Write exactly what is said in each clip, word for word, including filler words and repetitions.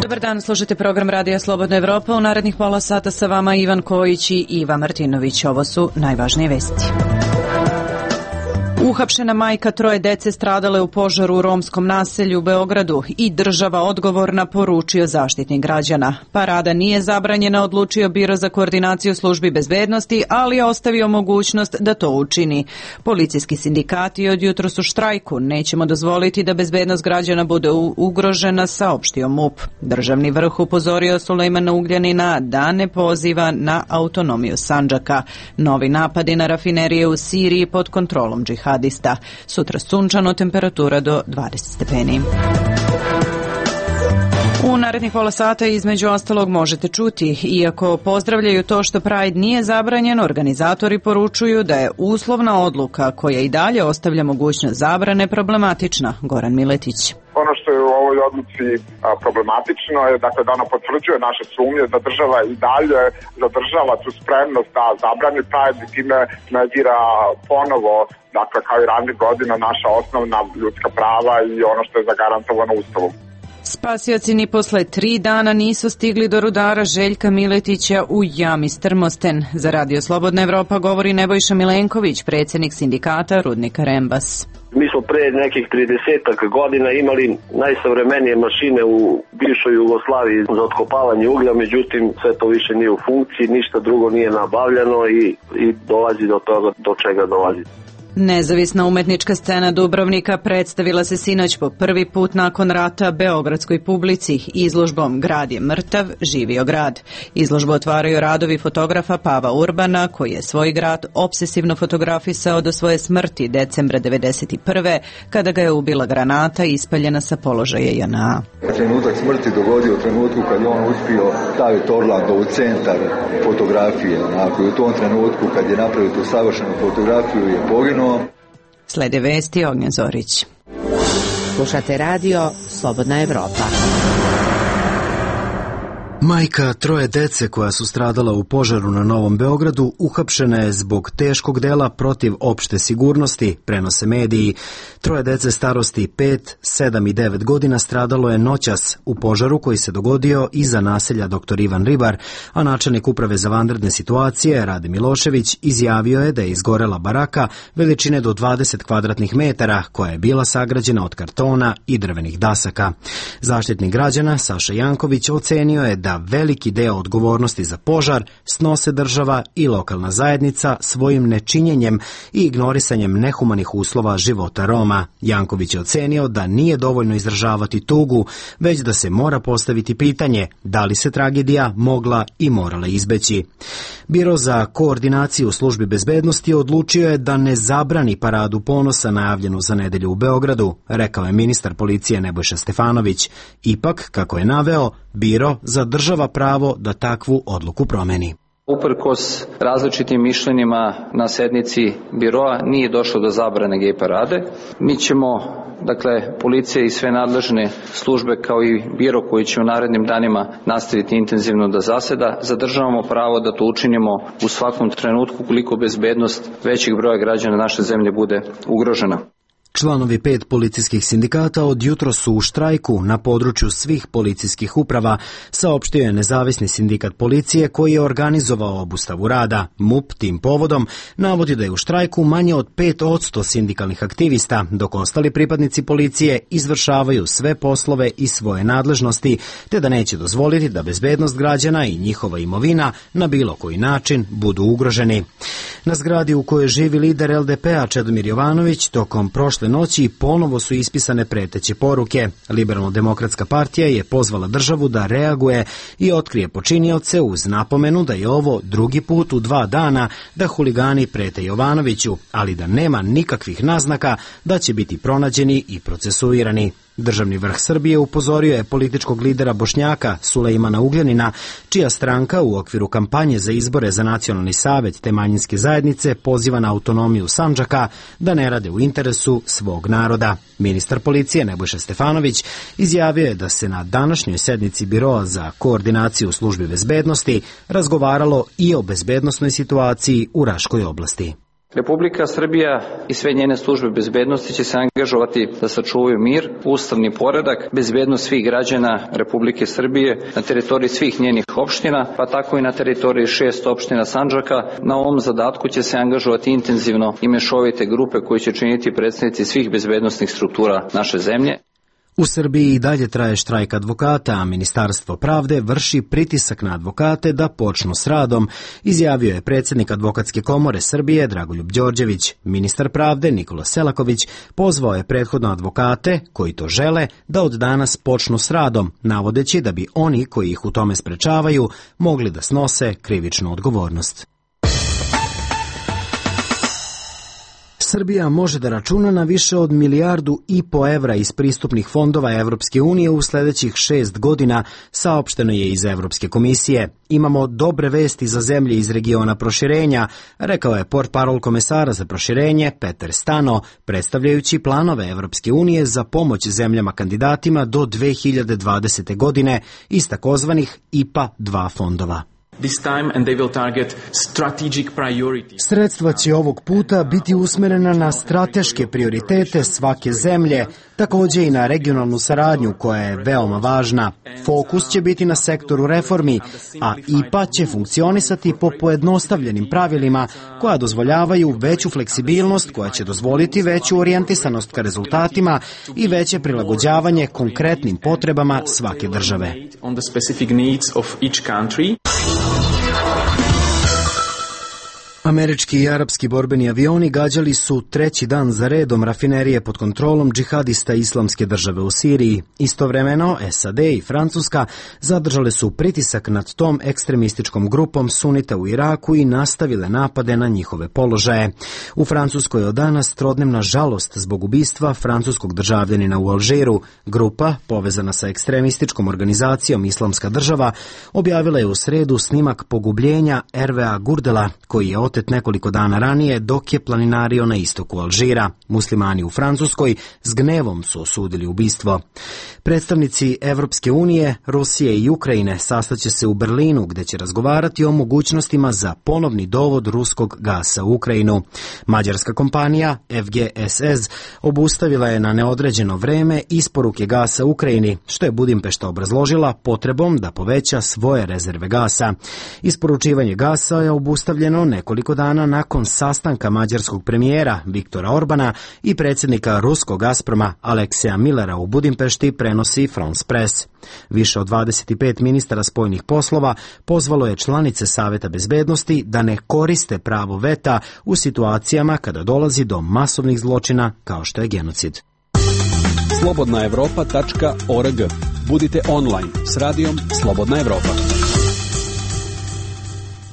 Dobar dan, slušate program Radija Slobodna Evropa. U narednih pola sata sa vama Ivan Kojić i Iva Martinović. Ovo su najvažnije vesti. Uhapšena majka troje dece stradale u požaru u romskom naselju u Beogradu i država odgovorna, poručio Zaštitnik građana. Parada nije zabranjena, odlučio Biro za koordinaciju službi bezbednosti, ali je ostavio mogućnost da to učini. Policijski sindikati od jutros u štrajku. Nećemo dozvoliti da bezbednost građana bude ugrožena, saopštio M U P. Državni vrh upozorio Sulejmana Ugljanina da ne poziva na autonomiju Sandžaka. Novi napadi na rafinerije u Siriji pod kontrolom džihada. Sutra sunčano, temperatura do dvadeset stepeni. U narednih pola sata između ostalog možete čuti, iako pozdravljaju to što Pride nije zabranjen, organizatori poručuju da je uslovna odluka koja i dalje ostavlja mogućnost zabrane problematična. Goran Miletić. Ono što je u ovoj odluci problematično je dakle, da ona potvrđuje naše sumnje da država i dalje zadržava tu spremnost da zabrani Pride i time negira ponovo, dakle kao i ranijih godina, naša osnovna ljudska prava i ono što je zagarantovano Ustavom. Spasioci ni posle tri dana nisu stigli do rudara Željka Miletića u jami Strmosten. Za Radio Slobodna Evropa govori Nebojša Milenković, predsjednik sindikata rudnika Rembas. Mi smo pre nekih tridesetak godina imali najsavremenije mašine u bivšoj Jugoslaviji za otkopavanje uglja, međutim sve to više nije u funkciji, ništa drugo nije nabavljano i, i dolazi do toga do čega dolazi. Nezavisna umetnička scena Dubrovnika predstavila se sinoć po prvi put nakon rata beogradskoj publici izložbom Grad je mrtav, živio grad. Izložbu otvaraju radovi fotografa Pava Urbana, koji je svoj grad obsesivno fotografisao do svoje smrti decembra devedeset prve. kada ga je ubila granata ispaljena sa položaja J N A. Trenutak smrti dogodio u trenutku kad je on uspio staviti Orlando u centar fotografije. Onako, u tom trenutku kad je napravio tu savršenu fotografiju je poginuo. Slede vesti, Ognjen Zorić. Slušate radio Slobodna Evropa. Majka troje dece koja su stradala u požaru na Novom Beogradu uhapšena je zbog teškog dela protiv opšte sigurnosti, prenose mediji. Troje dece starosti pet, sedam i devet godina stradalo je noćas u požaru koji se dogodio iza naselja doktor Ivan Ribar, a načelnik uprave za vanredne situacije Rade Milošević izjavio je da je izgorela baraka veličine do dvadeset kvadratnih metara koja je bila sagrađena od kartona i drvenih dasaka. Zaštitnik građana Saša Janković ocenio je da veliki deo odgovornosti za požar snose država i lokalna zajednica svojim nečinjenjem i ignorisanjem nehumanih uslova života Roma. Janković je ocenio da nije dovoljno izražavati tugu, već da se mora postaviti pitanje da li se tragedija mogla i morala izbeći. Biro za koordinaciju službi bezbednosti odlučio je da ne zabrani paradu ponosa najavljenu za nedelju u Beogradu, rekao je ministar policije Nebojša Stefanović. Ipak, kako je naveo, Biro zadržava pravo da takvu odluku promeni. Uprkos različitim mišljenjima na sednici biroa nije došlo do zabrane gej parade. Mi ćemo, dakle, policija i sve nadležne službe kao i biro koji će u narednim danima nastaviti intenzivno da zaseda, zadržavamo pravo da to učinimo u svakom trenutku koliko bezbednost većeg broja građana naše zemlje bude ugrožena. Članovi pet policijskih sindikata od jutro su u štrajku na području svih policijskih uprava, saopštio je nezavisni sindikat policije koji je organizovao obustavu rada. M U P tim povodom navodi da je u štrajku manje od pet posto sindikalnih aktivista, dok ostali pripadnici policije izvršavaju sve poslove i svoje nadležnosti, te da neće dozvoliti da bezbednost građana i njihova imovina na bilo koji način budu ugroženi. Na zgradi u kojoj živi lider L D P-a Čedomir Jovanović tokom prošle noći ponovo su ispisane preteće poruke. Liberalno-demokratska partija je pozvala državu da reaguje i otkrije počinioce uz napomenu da je ovo drugi put u dva dana da huligani prete Jovanoviću, ali da nema nikakvih naznaka da će biti pronađeni i procesuirani. Državni vrh Srbije upozorio je političkog lidera Bošnjaka Sulejmana Ugljanina, čija stranka u okviru kampanje za izbore za nacionalni savet te manjinske zajednice poziva na autonomiju Sandžaka da ne rade u interesu svog naroda. Ministar policije Nebojša Stefanović izjavio je da se na današnjoj sednici Biroa za koordinaciju službi bezbednosti razgovaralo i o bezbednosnoj situaciji u Raškoj oblasti. Republika Srbija i sve njene službe bezbednosti će se angažovati da sačuvaju mir, ustavni poredak, bezbednost svih građana Republike Srbije na teritoriji svih njenih opština, pa tako i na teritoriji šest opština Sandžaka. Na ovom zadatku će se angažovati intenzivno i mešovite grupe koje će činiti predstavnici svih bezbednosnih struktura naše zemlje. U Srbiji i dalje traje štrajk advokata, a Ministarstvo pravde vrši pritisak na advokate da počnu s radom, izjavio je predsjednik Advokatske komore Srbije Dragoljub Đorđević. Ministar pravde Nikola Selaković pozvao je prethodno advokate, koji to žele, da od danas počnu s radom, navodeći da bi oni koji ih u tome sprečavaju mogli da snose krivičnu odgovornost. Srbija može da računa na više od milijardu i po evra iz pristupnih fondova Evropske unije u sljedećih šest godina, saopšteno je iz Evropske komisije. Imamo dobre vesti za zemlje iz regiona proširenja, rekao je portparol komesara za proširenje Peter Stano, predstavljajući planove Evropske unije za pomoć zemljama kandidatima do dve hiljade dvadesete. godine iz takozvanih I P A dva fondova. Sredstva će ovog puta biti usmerena na strateške prioritete svake zemlje, također i na regionalnu saradnju koja je veoma važna. Fokus će biti na sektoru reformi, a I P A će funkcionisati po pojednostavljenim pravilima koja dozvoljavaju veću fleksibilnost, koja će dozvoliti veću orijentisanost ka rezultatima i veće prilagođavanje konkretnim potrebama svake države. Američki i arapski borbeni avioni gađali su treći dan za redom rafinerije pod kontrolom džihadista Islamske države u Siriji. Istovremeno, S A D i Francuska zadržale su pritisak nad tom ekstremističkom grupom sunita u Iraku i nastavile napade na njihove položaje. U Francuskoj od danas trodnevna žalost zbog ubistva francuskog državljanina u Alžiru. Grupa, povezana sa ekstremističkom organizacijom Islamska država, objavila je u sredu snimak pogubljenja Hervea Gurdela, koji je otet nekoliko dana ranije dok je planinario na istoku Alžira. Muslimani u Francuskoj s gnevom su osudili ubistvo. Predstavnici Evropske unije, Rusije i Ukrajine sastaće se u Berlinu, gde će razgovarati o mogućnostima za ponovni dovod ruskog gasa u Ukrajinu. Mađarska kompanija F G S S obustavila je na neodređeno vreme isporuke gasa Ukrajini, što je Budimpešta obrazložila potrebom da poveća svoje rezerve gasa. Isporučivanje gasa je obustavljeno nekoliko dana nakon sastanka mađarskog premijera Viktora Orbana i predsjednika ruskog Gazproma Alekseja Millera u Budimpešti, prenosi France Press. Više od dvadeset pet ministara spoljnih poslova pozvalo je članice Saveta bezbednosti da ne koriste pravo veta u situacijama kada dolazi do masovnih zločina kao što je genocid. slobodna evropa tačka org. Budite online s radijom Slobodna Evropa.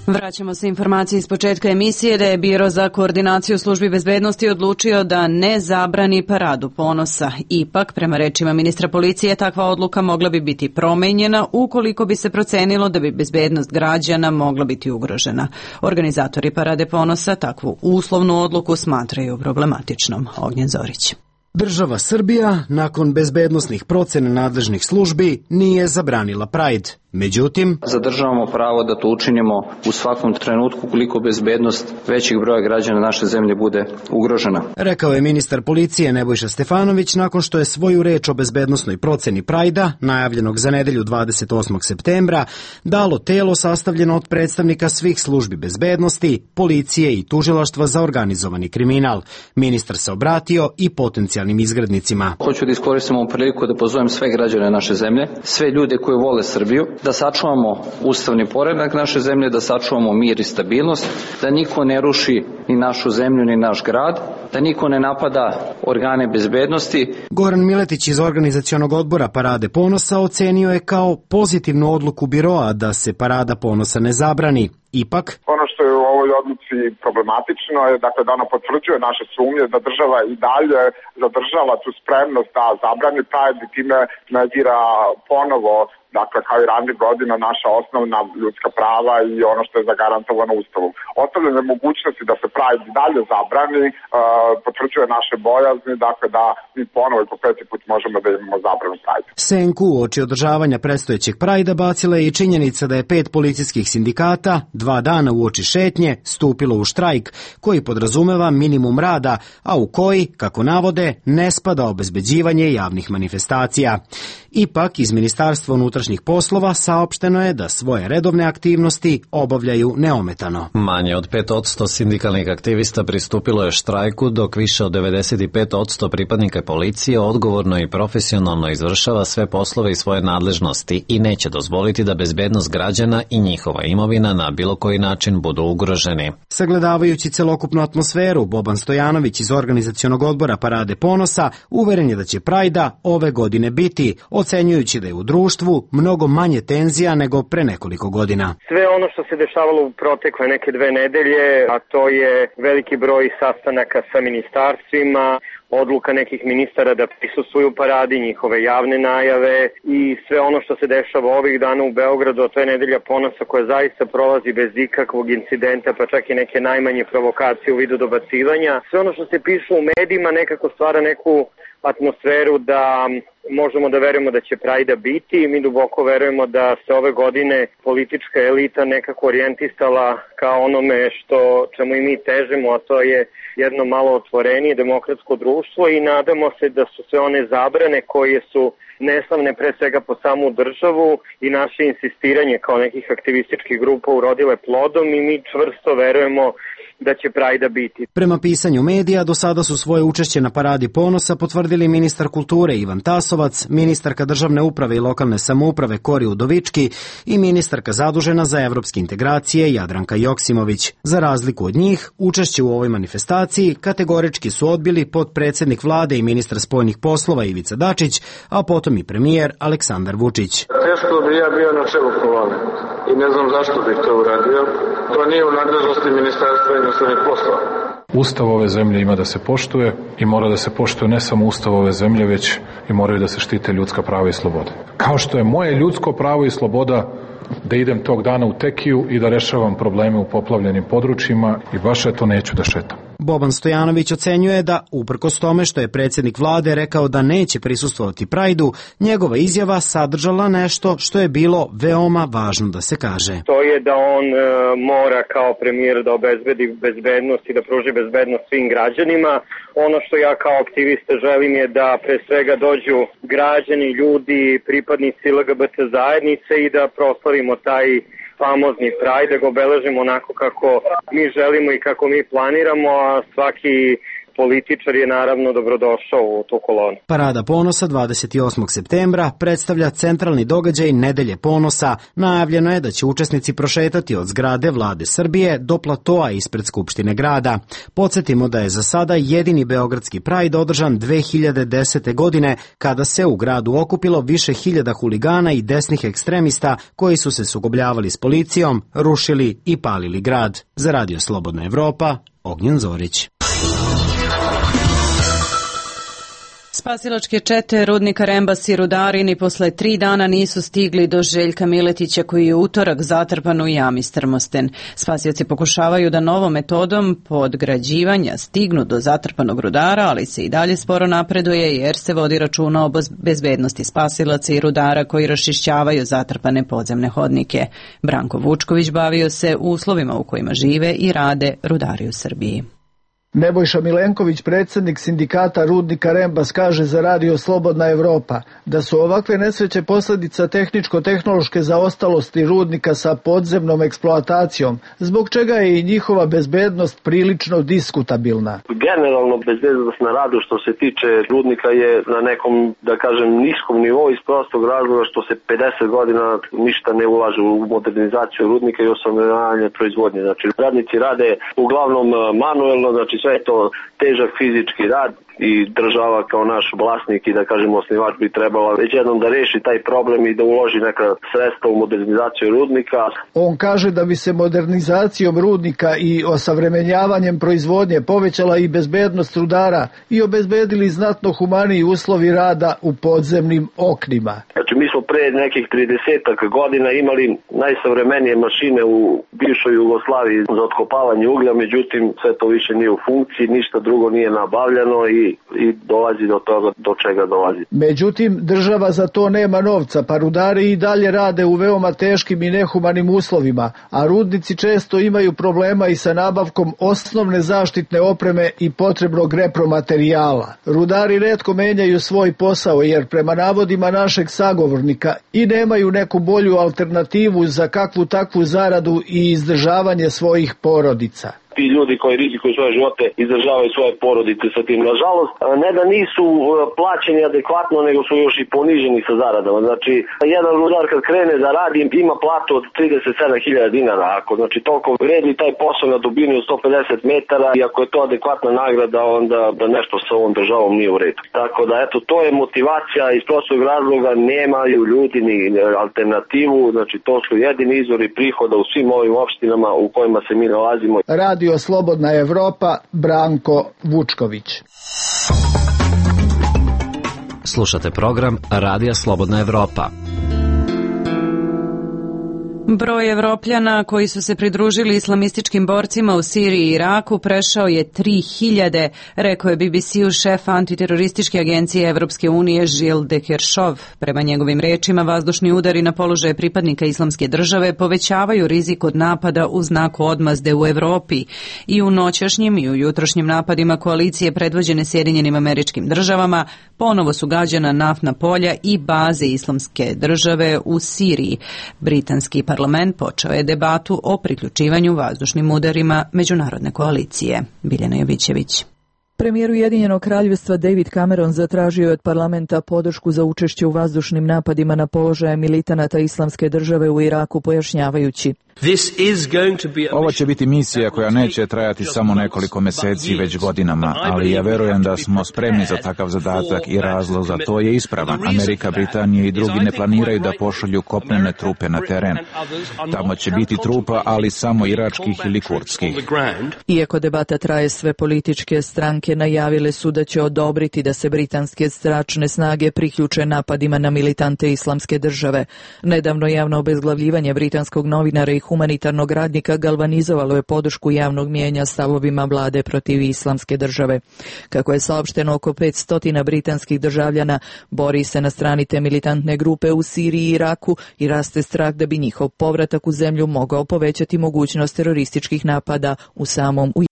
Vraćamo se informacije iz početka emisije da je Biro za koordinaciju službi bezbednosti odlučio da ne zabrani paradu ponosa. Ipak, prema rečima ministra policije, takva odluka mogla bi biti promenjena ukoliko bi se procenilo da bi bezbednost građana mogla biti ugrožena. Organizatori parade ponosa takvu uslovnu odluku smatraju problematičnom. Ognjen Zorić. Država Srbija, nakon bezbednosnih procena nadležnih službi, nije zabranila Pride. Međutim, zadržavamo pravo da to učinimo u svakom trenutku koliko bezbednost većeg broja građana naše zemlje bude ugrožena. Rekao je ministar policije Nebojša Stefanović nakon što je svoju reč o bezbednosnoj proceni Prajda, najavljenog za nedelju dvadeset osmog septembra, dalo telo sastavljeno od predstavnika svih službi bezbednosti, policije i tužilaštva za organizovani kriminal. Ministar se obratio i potencijalnim izgrednicima. Hoću da iskoristim ovu priliku da pozovem sve građane naše zemlje, sve ljude koji vole Srbiju, da sačuvamo ustavni poredak naše zemlje, da sačuvamo mir i stabilnost, da niko ne ruši ni našu zemlju ni naš grad, da niko ne napada organe bezbednosti. Goran Miletić iz organizacionog odbora Parade ponosa ocenio je kao pozitivnu odluku biroa da se Parada ponosa ne zabrani. Ipak, ono što je u ovoj odluci problematično je dakle da ona potvrđuje naše sumnje da država i dalje zadržava tu spremnost da zabrani Pride i time negira ponovo, dakle kao i ranijih godina, naša osnovna ljudska prava i ono što je zagarantovano Ustavom. Ostavljanje mogućnosti da se Pride dalje zabrani uh, potvrđuje naše bojazni, dakle da mi ponovo i po peti put možemo da imamo zabranu Pride. Senku u oči održavanja predstojećeg Prajda bacila je i činjenica da je pet policijskih sindikata, dva dana uoči šetnje stupilo u štrajk koji podrazumeva minimum rada, a u koji, kako navode, ne spada obezbeđivanje javnih manifestacija. Ipak, iz Ministarstva unutrašnjih poslova saopšteno je da svoje redovne aktivnosti obavljaju neometano. Manje od pet posto sindikalnih aktivista pristupilo je štrajku, dok više od devedeset pet posto pripadnika policije odgovorno i profesionalno izvršava sve poslove i svoje nadležnosti i neće dozvoliti da bezbednost građana i njihova imovina na bilo koji način budu ugroženi. Sagledavajući celokupnu atmosferu, Boban Stojanović iz organizacionog odbora Parade ponosa uveren je da će Prajda ove godine biti, ocenjujući da je u društvu mnogo manje tenzija nego pre nekoliko godina. Sve ono što se dešavalo u protekle neke dve nedelje, a to je veliki broj sastanaka sa ministarstvima, odluka nekih ministara da prisustvuju paradi, njihove javne najave i sve ono što se dešava ovih dana u Beogradu, a to je nedelja ponosa koja zaista prolazi bez ikakvog incidenta, pa čak i neke najmanje provokacije u vidu dobacivanja. Sve ono što se piše u medijima nekako stvara neku atmosferu da možemo da verujemo da će Prajda biti i mi duboko verujemo da se ove godine politička elita nekako orijentisala ka onome što čemu i mi težimo, a to je jedno malo otvorenije demokratsko društvo i nadamo se da su sve one zabrane koje su neslavne pre svega po samu državu i naše insistiranje kao nekih aktivističkih grupa urodile plodom i mi čvrsto verujemo da će Prajda biti. Prema pisanju medija, do sada su svoje učešće na Paradi ponosa potvrdili ministar kulture Ivan Tasovac, ministarka državne uprave i lokalne samouprave Kori Udovički i ministarka zadužena za evropske integracije Jadranka Joksimović. Za razliku od njih, učešće u ovoj manifestaciji kategorički su odbili potpredsednik vlade i ministar spoljnih poslova Ivica Dačić, a potom i premijer Aleksandar Vučić. Teško bi ja bio na čelu kolone i ne znam zašto bih to uradio. To nije u nadležnosti ministarstva inostranih poslova. Ustav ove zemlje ima da se poštuje i mora da se poštuje ne samo Ustav ove zemlje, već i moraju da se štite ljudska prava i slobode. Kao što je moje ljudsko pravo i sloboda da idem tog dana u Tekiju i da rešavam probleme u poplavljenim područjima i baš eto neću da šetam. Boban Stojanović ocenjuje da, uprkos tome što je predsjednik vlade rekao da neće prisustvovati Prajdu, njegova izjava sadržala nešto što je bilo veoma važno da se kaže. To je da on e, mora kao premijer da obezbedi bezbednost i da pruži bezbednost svim građanima. Ono što ja kao aktivista želim je da pre svega dođu građani, ljudi, pripadnici L G B T zajednice i da proslavimo taj famozni Pride, da ga obeležimo onako kako mi želimo i kako mi planiramo, a svaki političar je naravno dobrodošao u tu kolonu. Parada ponosa dvadeset osmog septembra predstavlja centralni događaj Nedelje ponosa. Najavljeno je da će učesnici prošetati od zgrade Vlade Srbije do platoa ispred Skupštine grada. Podsjetimo da je za sada jedini beogradski Pride održan dve hiljade desete. godine, kada se u gradu okupilo više hiljada huligana i desnih ekstremista koji su se sukobljavali s policijom, rušili i palili grad. Za Radio Slobodna Evropa, Ognjen Zorić. Spasilačke čete rudnika Rembas i rudari ni posle tri dana nisu stigli do Željka Miletića koji je utorak zatrpan u jami Strmosten. Spasioci pokušavaju da novom metodom podgrađivanja stignu do zatrpanog rudara, ali se i dalje sporo napreduje jer se vodi računa o bezbednosti spasilaca i rudara koji raščišćavaju zatrpane podzemne hodnike. Branko Vučković bavio se uslovima u kojima žive i rade rudari u Srbiji. Nebojša Milenković, predsjednik sindikata rudnika Rembas, kaže za Radio Slobodna Evropa da su ovakve nesreće posljedica tehničko-tehnološke zaostalosti rudnika sa podzemnom eksploatacijom, zbog čega je i njihova bezbednost prilično diskutabilna. Generalno bezbednost na radu što se tiče rudnika je na nekom, da kažem, niskom nivou iz prostog razloga što se pedeset godina ništa ne ulaže u modernizaciju rudnika i osavremenjavanje proizvodnje. Znači, radnici rade uglavnom manuelno, znači sve je to težak fizički rad i država kao naš vlasnik i da kažemo osnivač bi trebala već jednom da reši taj problem i da uloži neka sredstva u modernizaciju rudnika. On kaže da bi se modernizacijom rudnika i osavremenjavanjem proizvodnje povećala i bezbednost rudara i obezbedili znatno humaniji uslovi rada u podzemnim oknima. Znači mi smo pre nekih tridesetak godina imali najsavremenije mašine u bivšoj Jugoslaviji za otkopavanje uglja, međutim sve to više nije u funkciji, ništa drugo nije nabavljano i i, i dolazi do toga do čega dolazi. Međutim, država za to nema novca, pa rudari i dalje rade u veoma teškim i nehumanim uslovima, a rudnici često imaju problema i sa nabavkom osnovne zaštitne opreme i potrebnog repromaterijala. Rudari retko menjaju svoj posao jer prema navodima našeg sagovornika i nemaju neku bolju alternativu za kakvu takvu zaradu i izdržavanje svojih porodica. Ti ljudi koji rizikuju svoje živote izdržavaju svoje porodice sa tim. Nažalost, ne da nisu plaćeni adekvatno, nego su još i poniženi sa zaradama. Znači, jedan rudar kad krene da radi ima platu od trideset sedam hiljada dinara. Ako znači toliko vredi taj posao na dubini od sto pedeset metara i ako je to adekvatna nagrada, onda da nešto sa ovom državom nije u redu. Tako da, eto, to je motivacija iz prostog razloga, nemaju ljudi ni alternativu, znači to su jedini izvori prihoda u svim ovim opštinama u kojima se mi nalazimo. Radio Slobodna Evropa, Branko Vučković. Slušate program Radija Slobodna Evropa. Broj Evropljana koji su se pridružili islamističkim borcima u Siriji i Iraku prešao je tri hiljade, rekao je B B C-u šef antiterorističke agencije Evropske unije Gilles de Kerchove. Prema njegovim rečima, vazdušni udari na položaje pripadnika Islamske države povećavaju rizik od napada u znaku odmazde u Evropi. I u noćašnjim i u jutrošnjim napadima koalicije predvođene Sjedinjenim Američkim Državama ponovo su gađana naftna polja i baze Islamske države u Siriji. Britanski parlament počeo je debatu o priključivanju vazdušnim udarima međunarodne koalicije. Biljana Jovićević. Premijer Ujedinjenog kraljevstva David Cameron zatražio je od parlamenta podršku za učešće u vazdušnim napadima na položaje militanata Islamske države u Iraku, pojašnjavajući: Ovo će biti misija koja neće trajati samo nekoliko meseci, već godinama, ali ja verujem da smo spremni za takav zadatak i razlog za to je ispravan. Amerika, Britanija i drugi ne planiraju da pošalju kopnene trupe na teren. Tamo će biti trupa, ali samo iračkih ili kurdskih. Iako debata traje, sve političke stranke najavile su da će odobriti da se britanske zračne snage priključe napadima na militante Islamske države. Nedavno javno obezglavljivanje britanskog novinara i humanitarnog radnika galvanizovalo je podršku javnog mijenja stavovima vlade protiv Islamske države. Kako je saopšteno, oko petsto britanskih državljana bori se na strani te militantne grupe u Siriji i Iraku i raste strah da bi njihov povratak u zemlju mogao povećati mogućnost terorističkih napada u samom Ujedinjenom.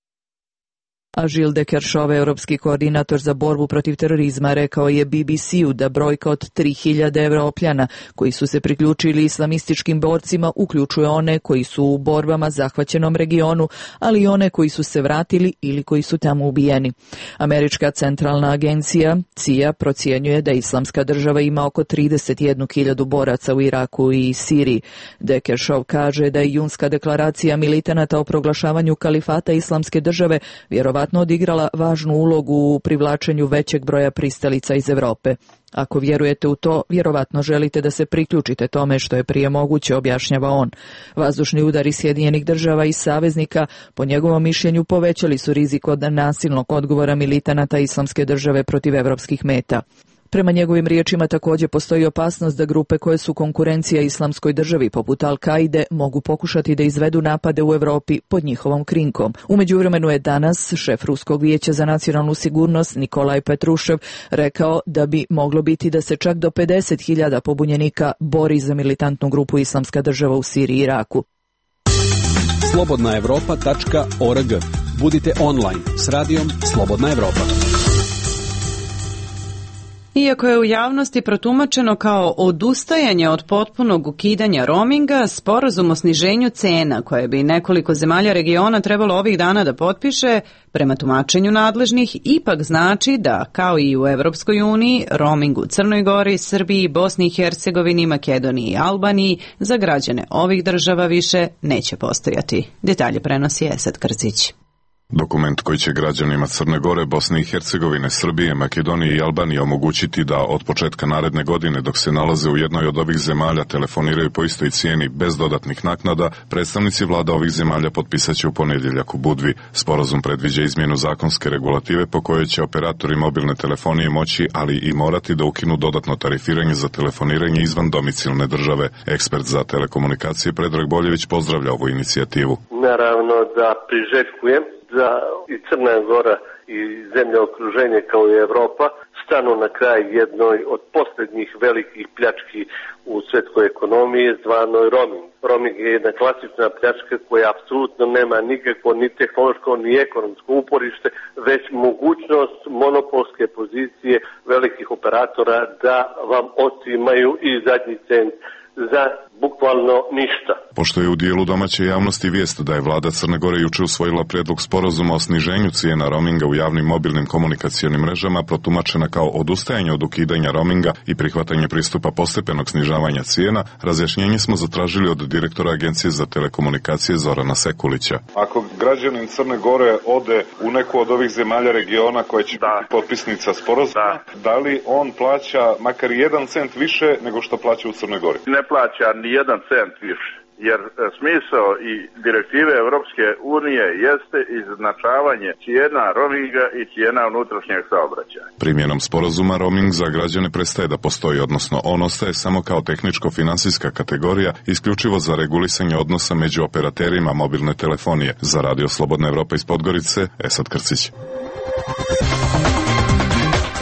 A Gilles de Kerchove, europski koordinator za borbu protiv terorizma, rekao je B B C-u da brojka od tri hiljade Evropljana koji su se priključili islamističkim borcima uključuje one koji su u borbama zahvaćenom regionu, ali i one koji su se vratili ili koji su tamo ubijeni. Američka centralna agencija C I A procjenjuje da Islamska država ima oko trideset jednu hiljadu boraca u Iraku i Siriji. De Kerchove kaže da je junska deklaracija militanata o proglašavanju kalifata Islamske države vjerovatno odigrala važnu ulogu u privlačenju većeg broja pristalica iz Evrope. Ako vjerujete u to, vjerovatno želite da se priključite tome što je prije moguće, objašnjava on. Vazdušni udari Sjedinjenih država i saveznika, po njegovom mišljenju, povećali su rizik od nasilnog odgovora militanata Islamske države protiv evropskih meta. Prema njegovim riječima također postoji opasnost da grupe koje su konkurencija Islamskoj državi poput Al-Kaide mogu pokušati da izvedu napade u Europi pod njihovom krinkom. U međuvremenu je danas šef Ruskog vijeća za nacionalnu sigurnost Nikolaj Petrušev rekao da bi moglo biti da se čak do pedeset hiljada pobunjenika bori za militantnu grupu Islamska država u Siriji i Iraku. slobodna evropa tačka org. Budite online s radijom Slobodna Evropa. Iako je u javnosti protumačeno kao odustajanje od potpunog ukidanja roaminga, sporazum o sniženju cena koje bi nekoliko zemalja regiona trebalo ovih dana da potpiše, prema tumačenju nadležnih, ipak znači da, kao i u Evropskoj uniji, roaming u Crnoj Gori, Srbiji, Bosni i Hercegovini, Makedoniji i Albaniji za građane ovih država više neće postojati. Detalje prenosi Esad Krcić. Dokument koji će građanima Crne Gore, Bosne i Hercegovine, Srbije, Makedonije i Albanije omogućiti da od početka naredne godine, dok se nalaze u jednoj od ovih zemalja, telefoniraju po istoj cijeni bez dodatnih naknada, predstavnici vlada ovih zemalja potpisat će u ponedjeljak u Budvi. Sporazum predviđa izmjenu zakonske regulative po kojoj će operatori mobilne telefonije moći, ali i morati da ukinu dodatno tarifiranje za telefoniranje izvan domicilne države. Ekspert za telekomunikacije Predrag Boljević pozdravlja ovu inicijativu. Naravno da priželjkujem da i Crna Gora i zemlje okruženje kao i Evropa stanu na kraj jednoj od posljednjih velikih pljački u svetskoj ekonomiji zvanoj roaming. Roaming je jedna klasična pljačka koja apsolutno nema nikakvo ni tehnološko ni ekonomsko uporište, već mogućnost monopolske pozicije velikih operatora da vam otimaju i zadnji cent za bukvalno ništa. Pošto je u dijelu domaće javnosti vijest da je vlada Crne Gore juče usvojila prijedlog sporazuma o sniženju cijena roaminga u javnim mobilnim komunikacionim mrežama, protumačena kao odustajanje od ukidanja roaminga i prihvatanje pristupa postepenog snižavanja cijena, razjašnjenje smo zatražili od direktora Agencije za telekomunikacije Zorana Sekulića. Ako građanin Crne Gore ode u neku od ovih zemalja regiona koja će da. biti potpisnica sporazuma, da. da li on plaća makar jedan cent više nego što plaća u Crnoj Gori? Ne plaća ni jedan cent više, jer smisao i direktive Evropske unije jeste izjednačavanje cijena roaminga i cijena unutrašnjeg saobraćaja. Primjenom sporazuma roaming za građane prestaje da postoji, odnosno on ostaje samo kao tehničko-finansijska kategorija isključivo za regulisanje odnosa među operaterima mobilne telefonije. Za Radio Slobodna Evropa iz Podgorice, Esad Krcić.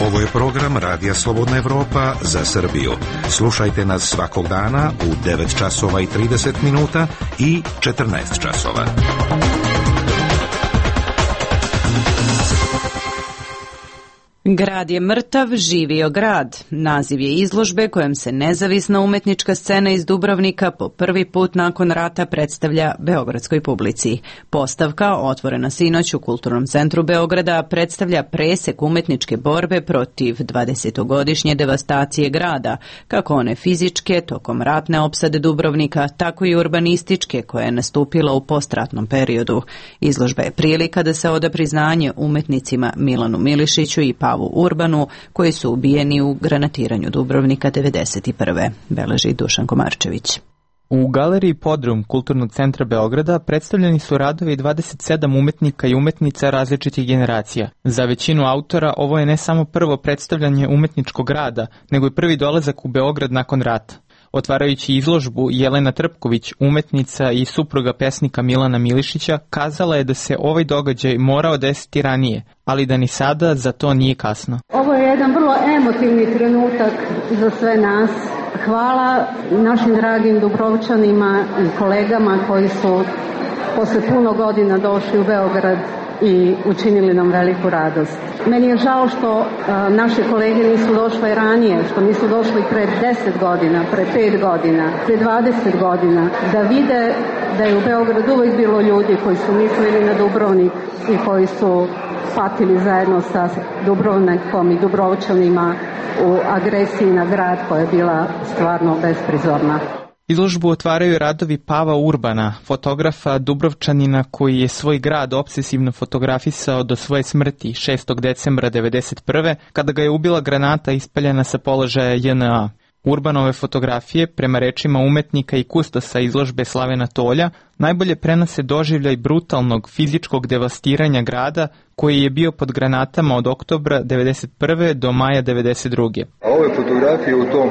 Ovo je program Radija Slobodna Evropa za Srbiju. Slušajte nas svakog dana u devet časova i trideset minuta i četrnaest časova. Grad je mrtav, živio grad. Naziv je izložbe kojom se nezavisna umetnička scena iz Dubrovnika po prvi put nakon rata predstavlja beogradskoj publici. Postavka, otvorena sinoć u Kulturnom centru Beograda, predstavlja presek umetničke borbe protiv dvadesetogodišnje devastacije grada, kako one fizičke tokom ratne opsade Dubrovnika, tako i urbanističke koja je nastupila u postratnom periodu. Izložba je prilika da se oda priznanje umetnicima Milanu Milišiću i Pavu Urbanu, koji su ubijeni u granatiranju Dubrovnika devedeset prve. Beleži Dušan Komarčević. U galeriji Podrum Kulturnog centra Beograda predstavljeni su radovi dvadeset sedam umetnika i umetnica različitih generacija. Za većinu autora ovo je ne samo prvo predstavljanje umetničkog rada, nego i prvi dolazak u Beograd nakon rata. Otvarajući izložbu, Jelena Trpković, umetnica i supruga pesnika Milana Milišića, kazala je da se ovaj događaj morao desiti ranije, ali da ni sada za to nije kasno. Ovo je jedan vrlo emotivni trenutak za sve nas. Hvala našim dragim Dubrovčanima i kolegama koji su posle puno godina došli u Beograd i učinili nam veliku radost. Meni je žao što a, naše kolege nisu došle ranije, što nisu došli pre deset godina, pre pet godina, pre dvadeset godina, da vide da je u Beogradu uvijek bilo ljudi koji su mislili na Dubrovnik i koji su patili zajedno sa Dubrovnikom i Dubrovčanima u agresiji na grad koja je bila stvarno besprizorna. Izložbu otvaraju radovi Pava Urbana, fotografa Dubrovčanina koji je svoj grad obsesivno fotografisao do svoje smrti šestog decembra devedeset prve kada ga je ubila granata ispaljena sa položaja J N A. Urbanove fotografije, prema rečima umetnika i kustosa izložbe Slavena Tolja, najbolje prenose doživljaj brutalnog fizičkog devastiranja grada koji je bio pod granatama od oktobra devedeset prve do maja devedeset druge. A ove fotografije u tom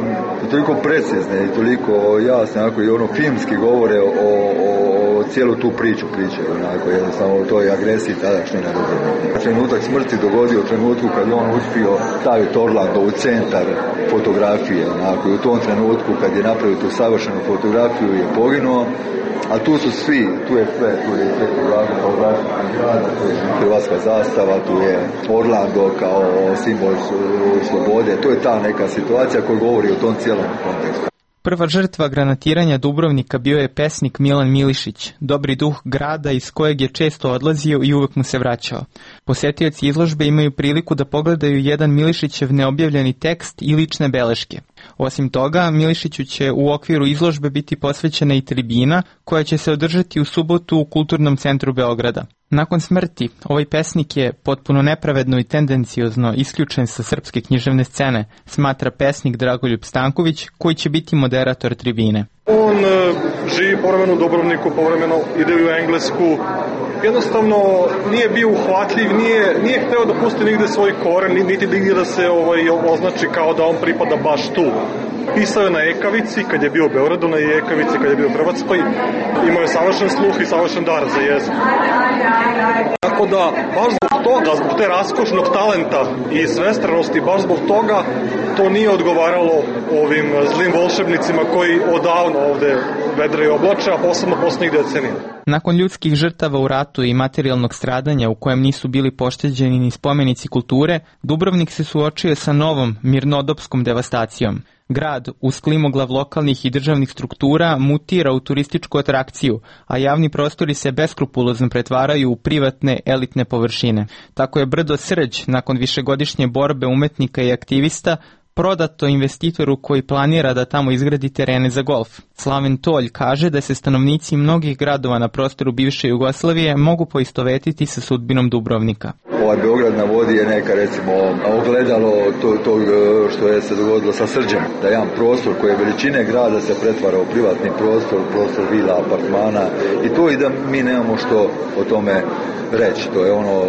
toliko precizne i toliko jasne, onako i ono filmski govore o, o, o cijelu tu priču priče, onako jednostavno o toj agresiji tadašnje na Dubrovnik. Trenutak smrti dogodio u trenutku kad je on uspio staviti Orlando u centar fotografije, onako i u tom trenutku kad je napravio tu savršenu fotografiju je poginuo. A tu su svi, tu je sve, tu je sve kao grada, tu je hrvatska zastava, tu je Orlando kao simbol slobode, to je ta neka situacija koja govori o tom cijelom kontekstu. Prva žrtva granatiranja Dubrovnika bio je pesnik Milan Milišić, dobri duh grada iz kojeg je često odlazio i uvek mu se vraćao. Posetioci izložbe imaju priliku da pogledaju jedan Milišićev neobjavljeni tekst i lične beleške. Osim toga, Milišiću će u okviru izložbe biti posvećena i tribina koja će se održati u subotu u Kulturnom centru Beograda. Nakon smrti, ovaj pesnik je potpuno nepravedno i tendenciozno isključen sa srpske književne scene, smatra pesnik Dragoljub Stanković, koji će biti moderator tribine. On uh, živi povremeno u Dubrovniku, povremeno ide u Englesku. Jednostavno nije bio uhvatljiv, nije, nije hteo da pusti nigde svoj koren, niti da se ovaj, označi kao da on pripada baš tu. Pisao je na ekavici, kad je bio u Beogradu, na ekavici, kad je bio u Hrvatskoj. Imao je savršen sluh i savršen dar za jezik. Tako da, baš zbog toga, zbog te raskošnog talenta i svestranosti, baš zbog toga to nije odgovaralo ovim zlim volšebnicima koji odavno ovde vedre oblače, a posebno poslednjih decenija. Nakon ljudskih žrtava u ratu i materijalnog stradanja u kojem nisu bili pošteđeni ni spomenici kulture, Dubrovnik se suočio sa novom mirnodopskom devastacijom. Grad, uz klimoglav lokalnih i državnih struktura, mutira u turističku atrakciju, a javni prostori se beskrupulozno pretvaraju u privatne elitne površine. Tako je brdo Srđ, nakon višegodišnje borbe umetnika i aktivista, prodato investitoru koji planira da tamo izgradi terene za golf. Slaven Tolj kaže da se stanovnici mnogih gradova na prostoru bivše Jugoslavije mogu poistovetiti sa sudbinom Dubrovnika. Ovaj Beograd na vodi je neka, recimo, ogledalo to, to što je se dogodilo sa Srđem, da jedan prostor koji je veličine grada se pretvara u privatni prostor, prostor vila, apartmana i to i da mi nemamo što o tome reći. To je ono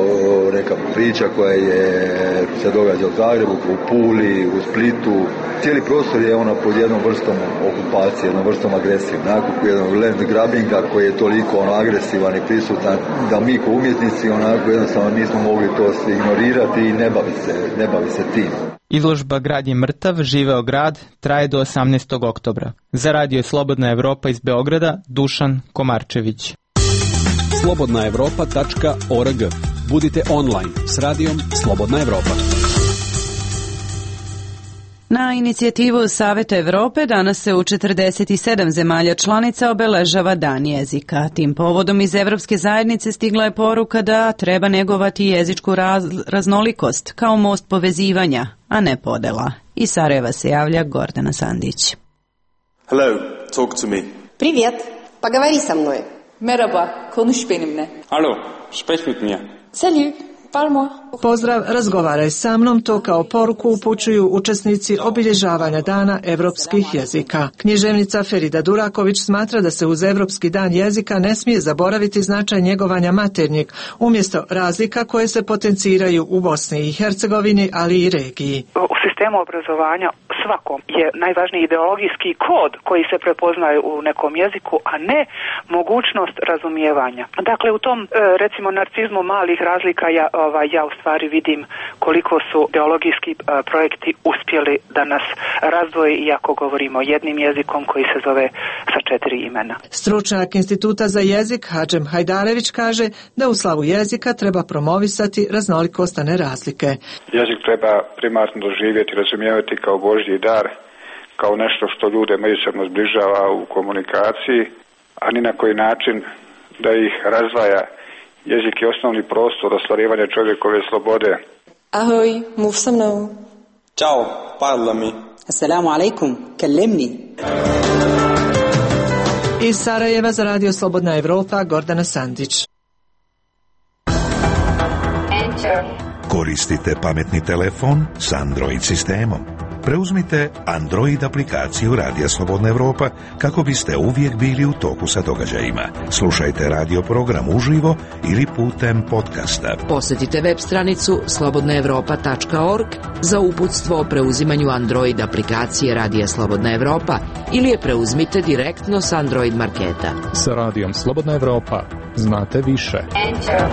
neka priča koja je se događa u Zagrebu, u Puli, u Splitu. Cijeli prostor je ono pod jednom vrstom okupacije, jednom vrstom agresije, onako jednog land grabbinga koji je toliko ono agresivan i prisutan da mi kao umjetnici onako jednostavno nismo mogli to se ignorirati i ne bavi se, ne bavi se tim. Izložba Grad je mrtav, živeo grad traje do osamnaestog oktobra. Za radio Slobodna Evropa iz Beograda, Dušan Komarčević. slobodna evropa tačka org. Budite online s radijom Slobodna Evropa. Na inicijativu Saveta Evrope danas se u četrdeset sedam zemalja članica obeležava Dan jezika. Tim povodom iz Evropske zajednice stigla je poruka da treba negovati jezičku raz, raznolikost kao most povezivanja, a ne podela. Iz Sarajeva se javlja Gordana Sandić. Hello, talk to me. Привет, поговори со мной. Merhaba, konuş benimle. Alo, sprech mit mir. Salut, parle-moi. Pozdrav, razgovaraj sa mnom, to kao poruku upućuju učesnici obilježavanja Dana evropskih jezika. Književnica Ferida Duraković smatra da se uz Evropski dan jezika ne smije zaboraviti značaj njegovanja maternjeg, umjesto razlika koje se potenciraju u Bosni i Hercegovini, ali i regiji. U sistemu obrazovanja svakom je najvažniji ideologijski kod koji se prepoznaje u nekom jeziku, a ne mogućnost razumijevanja. Dakle, u tom, recimo, narcizmu malih razlika ja, ovaj, ja u stvari vidim koliko su ideologijski projekti uspjeli da nas razdvoje, iako govorimo jednim jezikom koji se zove sa četiri imena. Stručnjak Instituta za jezik Hadžem Hajdarević kaže da u slavu jezika treba promovisati raznolikost, a ne razlike. Jezik treba primarno doživjeti, razumijevati kao Božji dar, kao nešto što ljude međusobno zbližava u komunikaciji, a ni na koji način da ih razdvaja. Jezik je osnovni prostor ostvarivanja čovjekove slobode. Ahoj, mów sa mnou. Ćao, parlami. Assalamu alaikum, kellimni. Iz Sarajeva za radio Slobodna Evropa, Gordana Sandić. Koristite pametni telefon s Android sistemom. Preuzmite Android aplikaciju Radija Slobodna Evropa kako biste uvijek bili u toku sa događajima. Slušajte radio program uživo ili putem podcasta. Posjetite web stranicu slobodna evropa tačka org za uputstvo o preuzimanju Android aplikacije Radija Slobodna Evropa ili je preuzmite direktno s Android marketa. Sa Radijom Slobodna Evropa znate više. Enter.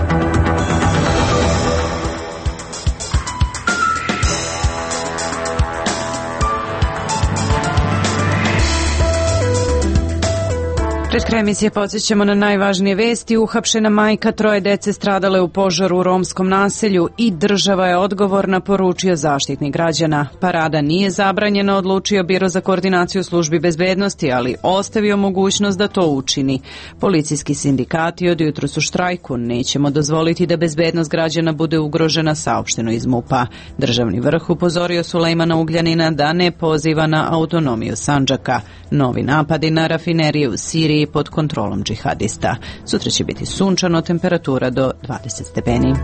Pred kraj emisije podsjećamo na najvažnije vesti. Uhapšena majka troje dece stradale u požaru u romskom naselju i država je odgovorna, poručio Zaštitnik građana. Parada nije zabranjena, odlučio Biro za koordinaciju službi bezbednosti, ali ostavio mogućnost da to učini. Policijski sindikati od jutros u štrajku. Nećemo dozvoliti da bezbednost građana bude ugrožena, saopšteno iz MUP-a. Državni vrh upozorio Sulejmana Ugljanina da ne poziva na autonomiju Sandžaka. Novi napadi na rafinerije u Siriji pod kontrolom džihadista. Sutra će biti sunčano, temperatura do dvadeset stepeni.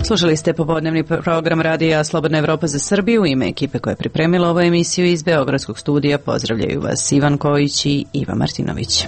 Slušali ste popodnevni program Radija Slobodna Evropa za Srbiju. U ime ekipe koja je pripremila ovu emisiju iz Beogradskog studija pozdravljaju vas Ivan Kojić i Iva Martinović.